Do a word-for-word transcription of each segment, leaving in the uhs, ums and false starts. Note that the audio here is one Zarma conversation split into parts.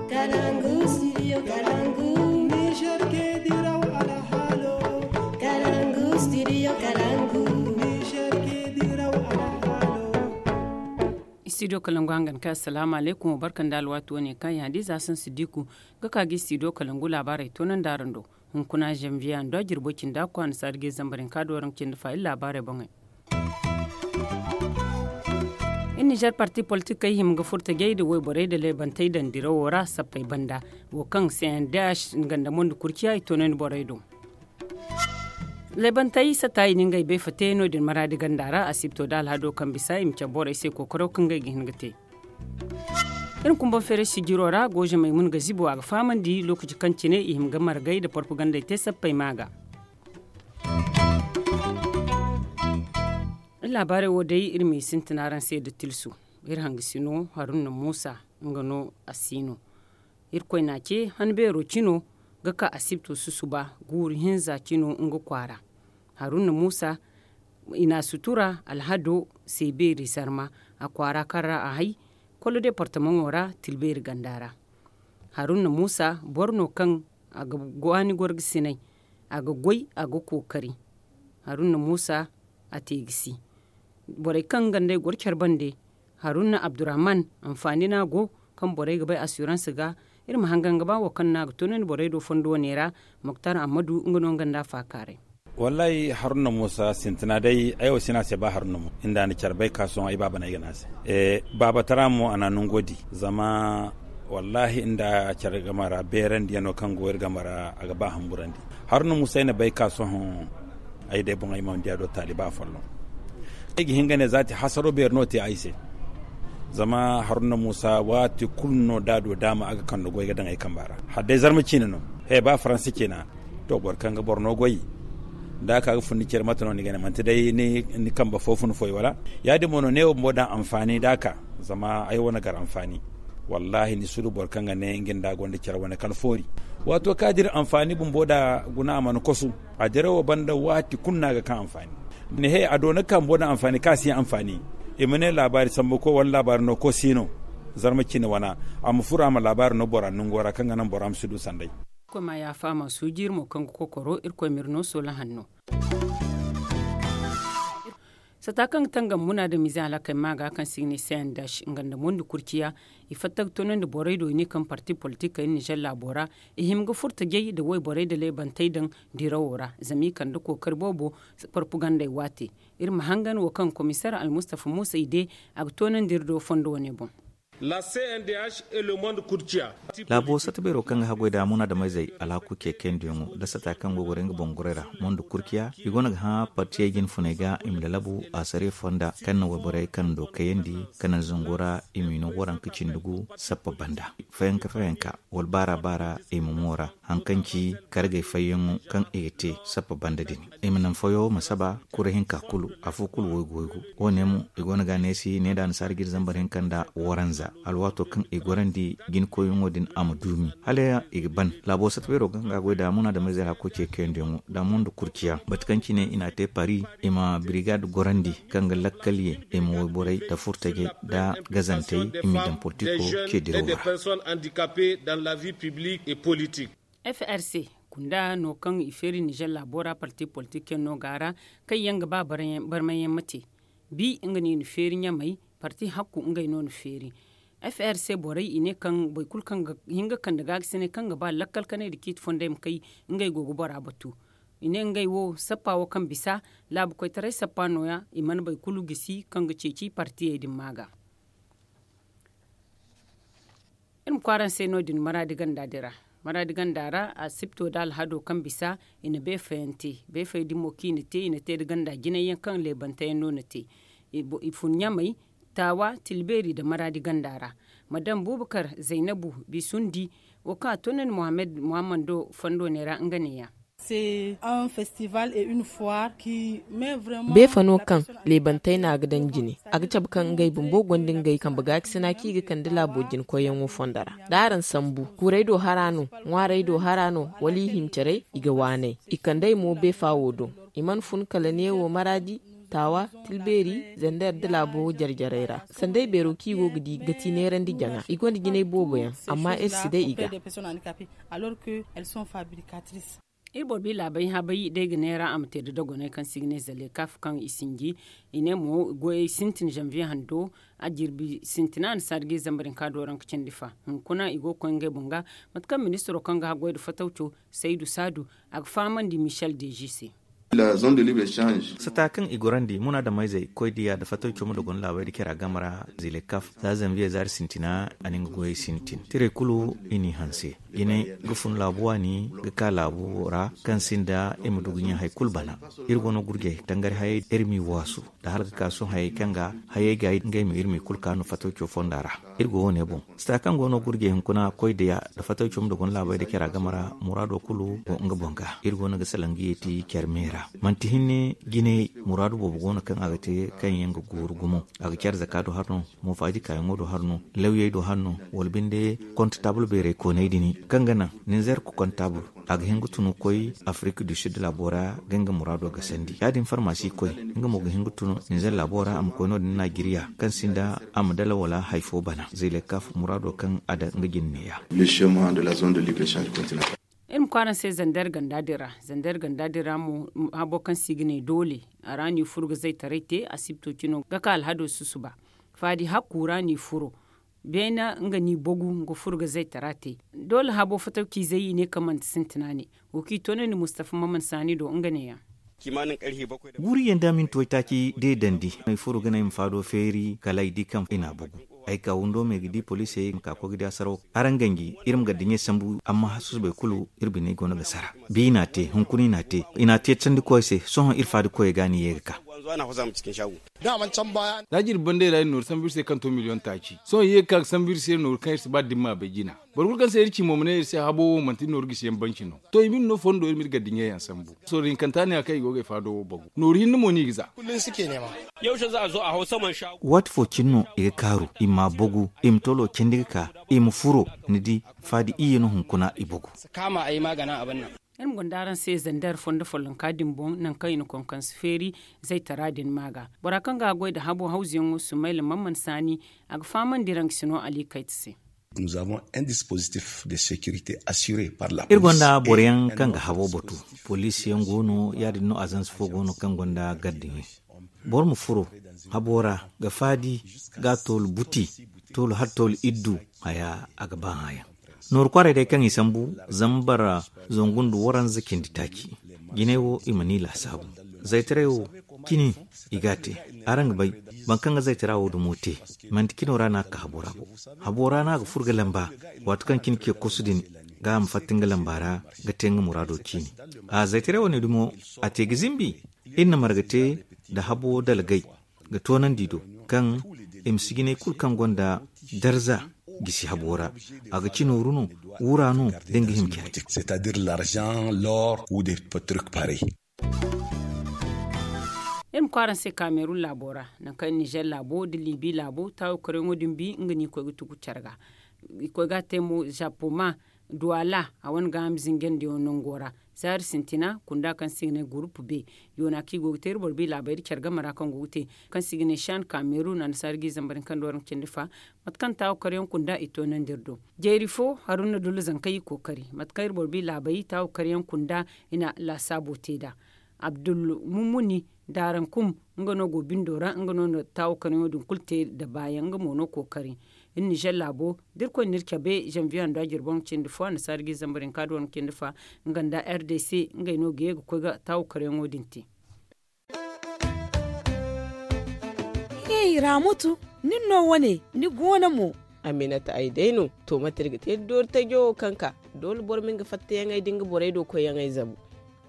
Kalangu, studio Kalangu. Niger ke diraw alhalo. Kalangu, studio Kalangu. Niger ke diraw alhalo. Studio Kalangu hangan ka assalamu alaikum, barkan da alwatu wane kan ya hadiza san sidiku ga ka gi studio Kalangu labarai tonan darando. Hunkuna janvier ando jirbo cinda ko an sarge zambarin ka doran cinda fa illa labarai bangai. In niger parti politik kai him ga furta jai da waiborai da laibantay dandirawo ra sappay banda, wo kaŋ cndh ganda mondi kurciya i tonandi borey do. Laibantay sata i na ngey bay fate no din maradi ganda ra asibto da alhado kaŋ bisa i ma cabe borey se kookaro kaŋ ngey ga hin ga te. Iri kumba feere sijiro ra goje maymun ga zibo a ga fahamandi lokaci kaŋ cine i hima ga margay nda porpagandey te sappey ma ga. Iri laabaarey wo day iri ma i sintin araŋ se nda tilsu. Iri hangasino haruna muusa, nga no a si no. Irkoy n'a ce han beero cino ga ka asibto susuba guuru hinza cino nga kwaara. Haruna muusa i n'a sutura alhado se beeri zarma a kwaara kaŋ ra a hay kolo departamaŋo ra tilbeeri ganda ra. Haruna muusa boro no kaŋ a ga gwaani gorgasinay, a ga goy, a ga kookari. Haruna muusa a te ga si borey kaŋ nga nd'ey goro care bande. Haruna abdurrahman, anfaani no a go kaŋ borey ga bay assurance ga. Iri ma hangan ga ba wo kaŋ no a ga toonandi borey do fondo wane ra. Moktar ammadu nga no nga nda a faakaaray. Wallahi haruna muusa sintina day ay wo si no a se ba haruna muusa inda ni care bay ka sohõ ay baaba no ay ga ne a se. Baabatara mo a na nango di zama wallahi inda care game ra beerandiyaŋo kaŋ go iri game ra a ga ba hamburandi. Haruna muusa ay na bay ka sohõ ay day boŋ ay mana di a do taaliba folloŋ. Ay ga hin ga ne zaati hasaro beeri no te ay se. Zama haruna muusa waati kulu no da a do daama a ga kande goy ga daŋ ay kamba ra. Hala day zarma ciine no. He ba faransi ciina. To boro kaŋ ga boro no goy da a ka ga fun ni care mate no ni ga ne manti day ni kambe fo fun foy wala? Ya-din mo no ne wo bumbo daŋ anfaani da a ka. Zama ay wane gar anfaani. Wallahi ni si du boro kaŋ ga ne nga nda a gonda care wane kaŋ foori. Waato kaŋ a dira anfaani bumbo da guna a mana kosu. A dira wo banda waati kulu no a ga kaŋ anfaani. Ni he a doona kambo nda anfaani kaŋ a si anfaani. I ma ne laabaari sambu koy wala laabaari no koy si no. Zarma cine wana a ma furo a ma laabaari no bora nango ra kaŋ ga naŋ bora ma si du sanday. Irkoy ma yaafa a ma suuji iri mo kaŋ ga kokoro irkoy ma iri no soola hanno. Sata kaŋ ga tangam muna da mize halakay ma ga kaŋ si ga ne cndh nga nda mondi kurciya. I fatta ga toonandi borey do i ne kaŋ parti politik kay nizer laabo ra. I hima ga furta jay nda wayborey nda leebantey daŋ dirawo ra zama i kande kookari boobo. Porpagandey waate iri ma hangan wo kaŋ komiseer almustafa muusa i de a ga toonandi iri do fondo wane boŋ. Laabo sata beero kaŋ ga haggoy da munaadameyzey alhaku ce kayandi yaŋo nda sata kaŋ go ga goro nga boŋ gorey ra mondo kurciya i go no ga hã partiyey jinfuney ga i ma lalabu asariya fonda kaŋ na wayborey kaŋ do kayandi kaŋ naŋ zango ra i m'i no waranka cindi gu sappa banda fayanka fayanka wala baara baara i ma moora. Haŋ kaŋ ci kargey fayyaŋo kaŋ i ga te sappa banda din i ma naŋ fayo ma saba kura hinka kulu afo kulu waygu waygu. Wo- ne mo i go no ga neesi ne da annasaara ga iri zambar hinka nda waranza alwaato kaŋ i gorandi jinkoyyaŋo din a ma duumi hala i ga ban. Laabo sata beero ga nga goy da munaadameyzey hakko ce kayandiyaŋo da mondo kurciya bate kaŋ cine i n'a te pari i ma birigad gorandi kaŋ ga lakkal ye i ma wayborey nda furtajey nda gazantey i m'i daŋ politiko ce diraw ra. F r c kunda no kaŋ i feeri nizer laabo ra parti politik yaŋ no ga a ra kaŋ yaŋ ga ba barmayyaŋ ma te. Bi nga no i na feeri ɲamey parti hakku ngey no na feeri. F r c borey i ne kaŋ boro kulu kaŋ ga hin ga kande gaagasinay kaŋ ga ba lakkal kanay nda ciiti fondey ma kay ngey go ga bora batu. I ne ngey wo sappa wo kaŋ bisa laabu koytaray sappa no- ya i mana boro kulu gisi kaŋ ga ceeci partiyey din ma ga. Iri ma kwaara ni se no- din maraadi ganda din ra. Maraadi ganda ra asipto nda alhado kaŋ bisa i na beefayaŋ te beefayey din mo kaŋ i na te i na te nda ganda jinay yaŋ kaŋ leebante yaŋ no na te. I fun ɲamey, taawa, tilbeeri nda maraadi ganda ra. Madam bubakar zaynabu bisundi wo kaŋ a toonandi muhammad muhammando fondo ne ra nga ne- ya. Beefa no kaŋ leebantey no a ga daŋ jine a ga cabe kaŋ ngey bumbo gonda ngey kambe gaakasina kaŋ i ga kande laabo jina koyyaŋo fondo ra. Da araŋ sambu kuurey do hara no, ŋwaarey do hara no, wala i hincarey, i ga waanay. I kand'ey mo beefa wo do. I mana fun kala neewo maraadi. Taawa, tilbeeri, zander nda laabo jare-jarey ra. Sanday beero kaŋ i go ga di ga ti neerandi jaŋa, i gonda jinay boobo yaŋ, amma iri si day i ga. Iri boro bi laabay habay day ga neera a ma te da dogonay kaŋ se i ga ne zalekaf kaŋ i sinji. I ne mo goyey sintin zanviye hando, a jirbi sintina a na saadi ga i zambar hinka dooraŋ ka cindi fa. Hunkuna i go ga koy ngey boŋ ga, mate kaŋ ministiro kaŋ ga haggoy nda fatawco, saydu saadu, a ga fahamandi michel deji se. Sata kaŋ i gorandi munaadamayzey koy diya nda fatawco ma dogon laabay nda care a game ra, zilekaf za zanviye zaari sintina, a na nga goyey sintin tiray kulu i n'i hanse. Jine ga fun laabu waani ga ka laabu ra kaŋ sinda i ma du ga ɲa hari kulu bana. Iri go no gurjey tangari hayey iri m'i waasu nda hala ga ka sohõ hayey kaŋ ga hayey ga ngey ma iri m'i kulu ka no fatawco fonda ra. Iri go wo- ne boŋ sata kaŋ go no gurjey hunkuna koy diya nda fatawco ma dogon laabay nda care a game ra, muraado kulu go nga boŋ ga. Iri go no ga salaŋ ga yeeti care me ra. Manti hinne jine muraadu boobo go no kaŋ a ga te kaŋ yaŋ ga gooru gumo. A ga care zaka do har no, moofaadi kaayaŋo do har no, lawyey do har no, wala binde kontatabul beerey koonay din kaŋ ga naŋ ninzeer ga kontatabul, a ga hin ga tunu koy afirik du sid laabo ra ga nga muraado ga sandi ya- din farmasi koy. Nga mo ga hin ga tunu ninzeer laabo ra a ma koy no- din najeriya kaŋ sinda a ma dala wala hari fo bana zilekaf muraado kaŋ a daŋ nga jine neeya. Iri ma kwaara se zander ganda din ra. Zander ganda din ra mo habo kaŋ se i ga ne doole, a ra no i furo ga zaytaray te asibto cino ga ka alhado susuba. Faadi hakku ra no i furo. Beena nga no i bogu ga furo ga zaytara te. Doole habo fatawciizey i ne kaŋ manti sintina ne. Wo kaŋ i toonandi mustafa maman saani do nga neeyaŋ. Guuru yaŋ da minti waytaaci deedandi ay furo ga ne ay ma faado feeri kala ay di kaŋ i n'a bogu. Ay ka windo me ga di poliisey ma ka koy ga di a saraw. Araŋ ganji iri ma gardiɲey sambu amma susubay kulu iri biney go no ga sara. Bi i n'a te hunkuna i n'a te. I n'a te candikoy se sohõ iri faadikoyey ga no i ye ga ka. Za jirbi banday ra iri nooru sambu iri se kaŋ to miliyoŋ taaci sohõ i ye ga ka ga sambu iri se nooru kaŋ iri si ba dimma bay jina. Boro kulu kaŋ se iri ci mo ma ne iri se habo wo manti nooru gisi yaŋ banci no. To i ma iri no fondo iri ma iri gardiɲey yaŋ sambu. Sorro hinkanta ne ya kaŋ i go ga ay faado wo bagu nooru hinne mo no i ga za. Waati fo cine no i ga kaaru i ma a bogu i ma tolo candi ga ka i ma furo. Ni di faadi iyye no hunkuna i bogu. Iri ma gonda araŋ se zander fondo follonka din boŋ nangu kaŋ i na konkonse feeri zaytara din ma ga. Bora kaŋ ga a goy nda habo hawzuyaŋo sumayla mamman saani a ga fahamandi raŋ ga si no ali kayta se. Iri gonda boro yaŋ kaŋ ga habo batu poliisi yaŋ go no ya- din no azansi fo go no kaŋ gonda gardiɲey. Boro ma furo habo ra ga faadi ga a toolu buti toolu hala toolu iddu haya a ga ba hã yaŋ. Nooru kwaaray day kaŋ i sambu zambar zangu nda waranza cindi taaci. Jinay wo i mana i laasaabu. Zaytaray wo cine i ga a te. Araŋ ga bay boro kaŋ ga zaytara wo dumo te manti cino ra no a ga ka habo ra bo. Habo ra no a ga furo ga lamba waati kaŋ cine ce kosu din ga a ma fatta nga lamba ra ga te nga muraado ciine. A zaytaray wane dumo a te ga zimbi. Iri na marga te nda habo dalgay ga toonandi do kaŋ i ma si jinay kulu kaŋ gonda darza gisi habo ra. A ga ci nooru no wura no da nga hima care. Iri ma kwaara se kaamerun laabo ra nangu kaŋ nizer laabo nda libi laabo taawo karyaŋo din bi nga no i koy ga tugu care ga. I koy ga a te mo zapoma duwala a wane gaaham zingandiyaŋo nango ra. Zaari sintina kunda kaŋ se i ga ne gurupu be yoona kaŋ i go ga te iri boro bi laabay nda care game ra kaŋ go ga te kaŋ se i ga ne shan kamerun annasaara ga i zambar ni kaŋ dooraŋ ga cindi fa. Mate kaŋ taawo karyaŋ kunda i toonandi iri do. Jeeri fo haruna dullu zankey i kookari mate kaŋ iri boro bi laabay taawo karyaŋ kunda i na laasaabo te nd'a. Abdul mumuni daarankum nga no go bindo ra nga no na taawo karyaŋo din kulu te nda baayaŋ nga mo no kookari. Iri nizer laabo da irkoy na iri cabe zanviye hando a jirbi waranka cindi fo annasaara ga i zambar hinka nda waranka cindi fa. Nga nda rdc ngey no ga ye ga koy ga taawo karyaŋo din te. Hey raamatu, nin no wane ni goono mo? Aminata ay day no. To mate iri ga te iri doori tajo wo kaŋ ka doole boro ma nga fattayaŋey da nga borey do koyyaŋey zabu.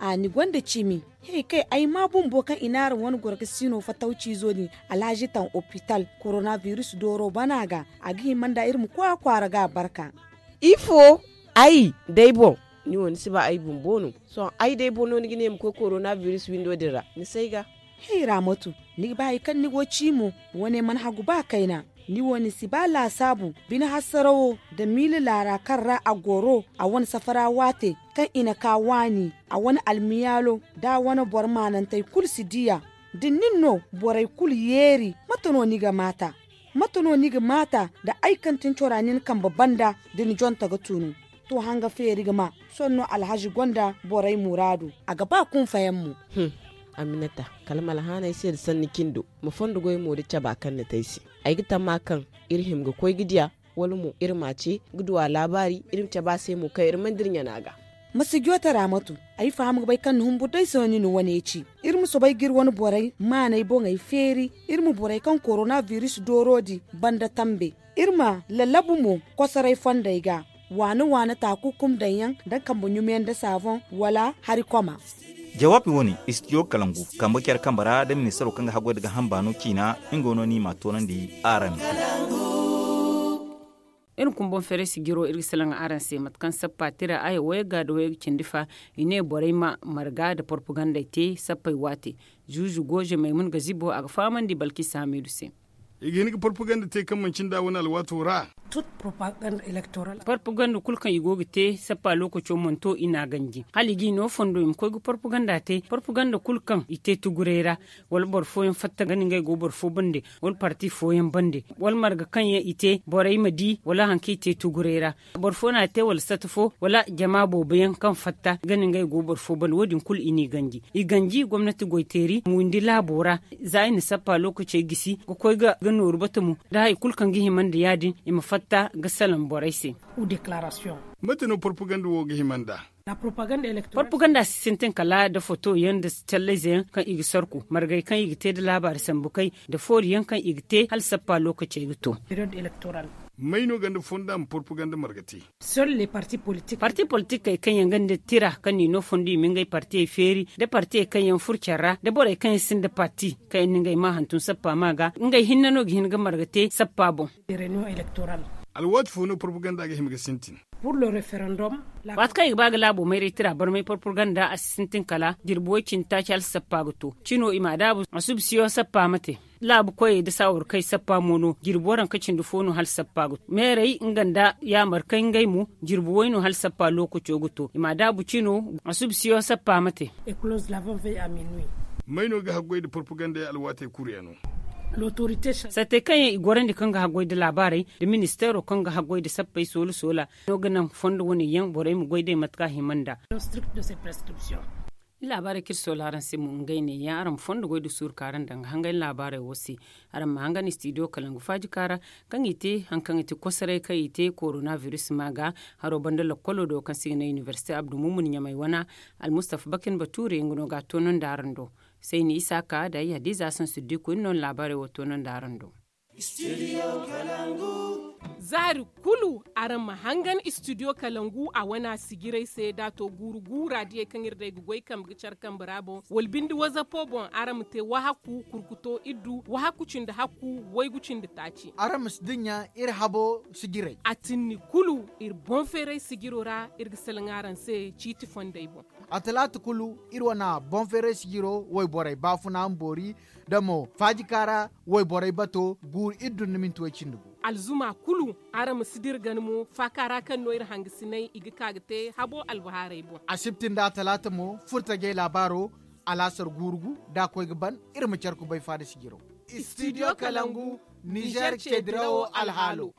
A ni gonda cimi. He kay ay ma bumbo kaŋ i n'araŋ wane goro ga siino fatawciizo din alhazi taŋ opital korona biris dooro bana ga. A ga hima nda iri ma koy a kwaara ga a barka. Ifo? Ay day boŋ. Ni wo ni si ba ay bumbo no? Sohõ ay day boŋ no ni ga ne ma koy korona biris windo din ra ni si ay ga. Hey raamatu, ni ga ba hari kaŋ ni go ciimo? Wane mana hagu ba kayna. Ni wo ni si ba laasaabu bine hasarawo nda miila laara kaŋ ra a goro a wane safara waate kaŋ i na ka waani a wane almiyaalo da a wane boro maanantey kulu si di a. Da nin no borey kulu yeeri, mate no ni ga maata? Mate no ni ga maata da ay kaŋ tin cora nin kambe banda da ni jonta ga tunu? To, hanga feeri ga ma sohõ no alhazi gonda borey muraadu. A ga ba kunfayaŋ mo. Aminata, kala ma alhaanay se nda sanni cindo, ma fondo goy mo da caba kaŋ ni te ay se. Ay ga tamma kaŋ iri hima ga koy ga diya, wala mo iri m'a ce ga du a laabaari, iri ma cabe a se mo kaŋ iri mana dira ɲana ga. Ma si joote raamatu. Ay faham ga bay kaŋ ni humbur day se no ni na wane ci. Iri ma soobay ga iri wane borey maanay boŋey feeri. Iri ma borey kaŋ korona biris dooro di banda tambe. Iri ma lallabu mo kosoray fondey ga, waana waana taakukum daŋ yaŋ da kambe ɲumiyaŋ da saaboŋ wala hari koma. Jawaabi wo-ne, istidiyo kalangu kambe care kambe ra da ministaro kaŋ ga haggoy nda gaaham baano ciina. Nga no ni m'a toonandi araŋ. Iri ma kumboŋ feeray sijiro iri ga salaŋ araŋ se mate kaŋ sappa tira aya wayga nda wayga cindi fa. I ne borey ma marga nda porpagandey te sappey waate. Zuuzu gooze maymun gazibo a ga fahamandi balkisa hamiidu se. I ga hin ga porpaganda te kaŋ manci nda wane alwaato ra. Porpaganda kulu kaŋ i go ga te sappa lookaco mana to i n'a ganji hala i g'i no fondo i ma koy ga porpaganda te porpaganda kulu kaŋ i te tuguray ra, wala boro fooyaŋ fatta ga ni ngey go boro fo bande, wala parti fooyaŋ bande, wala marga kaŋ yaŋ i te borey ma di wala hari kaŋ i te tuguray ra. Boro fo no a te wala sata fo wala jama boobo yaŋ kaŋ fatta ga ni ngey go boro fo bande wo- din kulu i n'i ganji. I ganji gomnati goyteeri ma windi laabo ra. Za i na sappa lookacey gisi ga koy ga nooru bata mo, da hari kulu kaŋ ga hima nda ya- din i ma fatta ga salaŋ borey se. Mate no porpaganda wo ga hima nda? Porpaganda si sintin kala nda foto yaŋ nda callayze yaŋ kaŋ i ga sarku margey kaŋ i ga te nda laabaari sambu kay, nda foori yaŋ kaŋ i ga te hala sappa lookacey ga to. May no ganda fonda ma porpaganda marga te? Parti politikey kaŋ yaŋ gonda tira kaŋ n'i no fondo i ma ngey partiyey feeri, nda partiyey kaŋ yaŋ furo care ra nda borey kaŋ yaŋ sinda parti kaŋ yaŋ na ngey maa hantum sappa ma ga ngey hinne no ga hin ga marga te sappa boŋ. Alwaati fo no porpaganda ga hima ga sintin? Waati kaŋ i ga ba ga laabo mayray tira barmay porpaganda a si sintin kala jirbi way- cindi taaci hala sappa ga to cino i m'a daabu a suba siyo sappa ma te. Laabu koyey nda saawarkey sappa mo no jirbi waranka cindi fo no hala sappa ga to meerey nga nda yaamarkey ngey mo jirbi way no hala sappa lookaco ga to i m'a daabu cino a suba siyo sappa ma te. May no ga haggoy nda porpagandey alwaatey kuru yaŋo? Sattey kaŋ yaŋ i gorandi kaŋ ga haggoy nda laabaarey nda ministeero kaŋ ga haggoy nda sappey soola soola no ga naŋ fondo wane yaŋ borey ma goy day mate kaŋ a hima nda. Laabaarey kaŋ iri soola araŋ se mo ngey ne ya araŋ ma fondo goy nda suuru kaŋ araŋ daŋ ga hangay laabaarey wo se. Araŋ ma hangan istidiyo kalangu faajika ra kaŋ i te hari kaŋ i te kosoray kaŋ i te korona biris ma ga haro banda lakkolo do kaŋ se i ga ne inibersite abdu mumun ɲamay wana. Almustafa bakin bature nga no ga a toonandi araŋ do. Sayni isaaka da ay hadiza asan siddiku iri no na laabaarey wo toonandi araŋ do. Zaari kulu araŋ ma hangan istidiyo kalangu a wana sijiray se da a to guuru guura diyey kaŋ iri day ga goy kambe ga care kambe ra boŋ wala binde wazapo boŋ araŋ ma te wahakku kurkuto iddu wahakku cindi hakku waygu cindi taaci. Araŋ ma si dinya iri habo sijiray. A tinni kulu iri boŋ feeray sijiro ra iri ga salaŋ araŋ se ciiti fondey boŋ. A talaata kulu iri wana boŋ feeray sijiro wayborey baafuna ma boori da mo faajika ra wayborey bato guuru iddu nda minti way cindi gu. Alzuma kulu araŋ ma si dira gana mo faaka ra kaŋ no iri hangasinay i ga ka ga te habo albahaarey boŋ. Asibti nda atalaata mo furtajey laabaaro alaasar guuru gu da a koy ga ban. Iri ma care kubay faada sijiro. Istidiyo kalangu nizer ceedirawo alhaalo.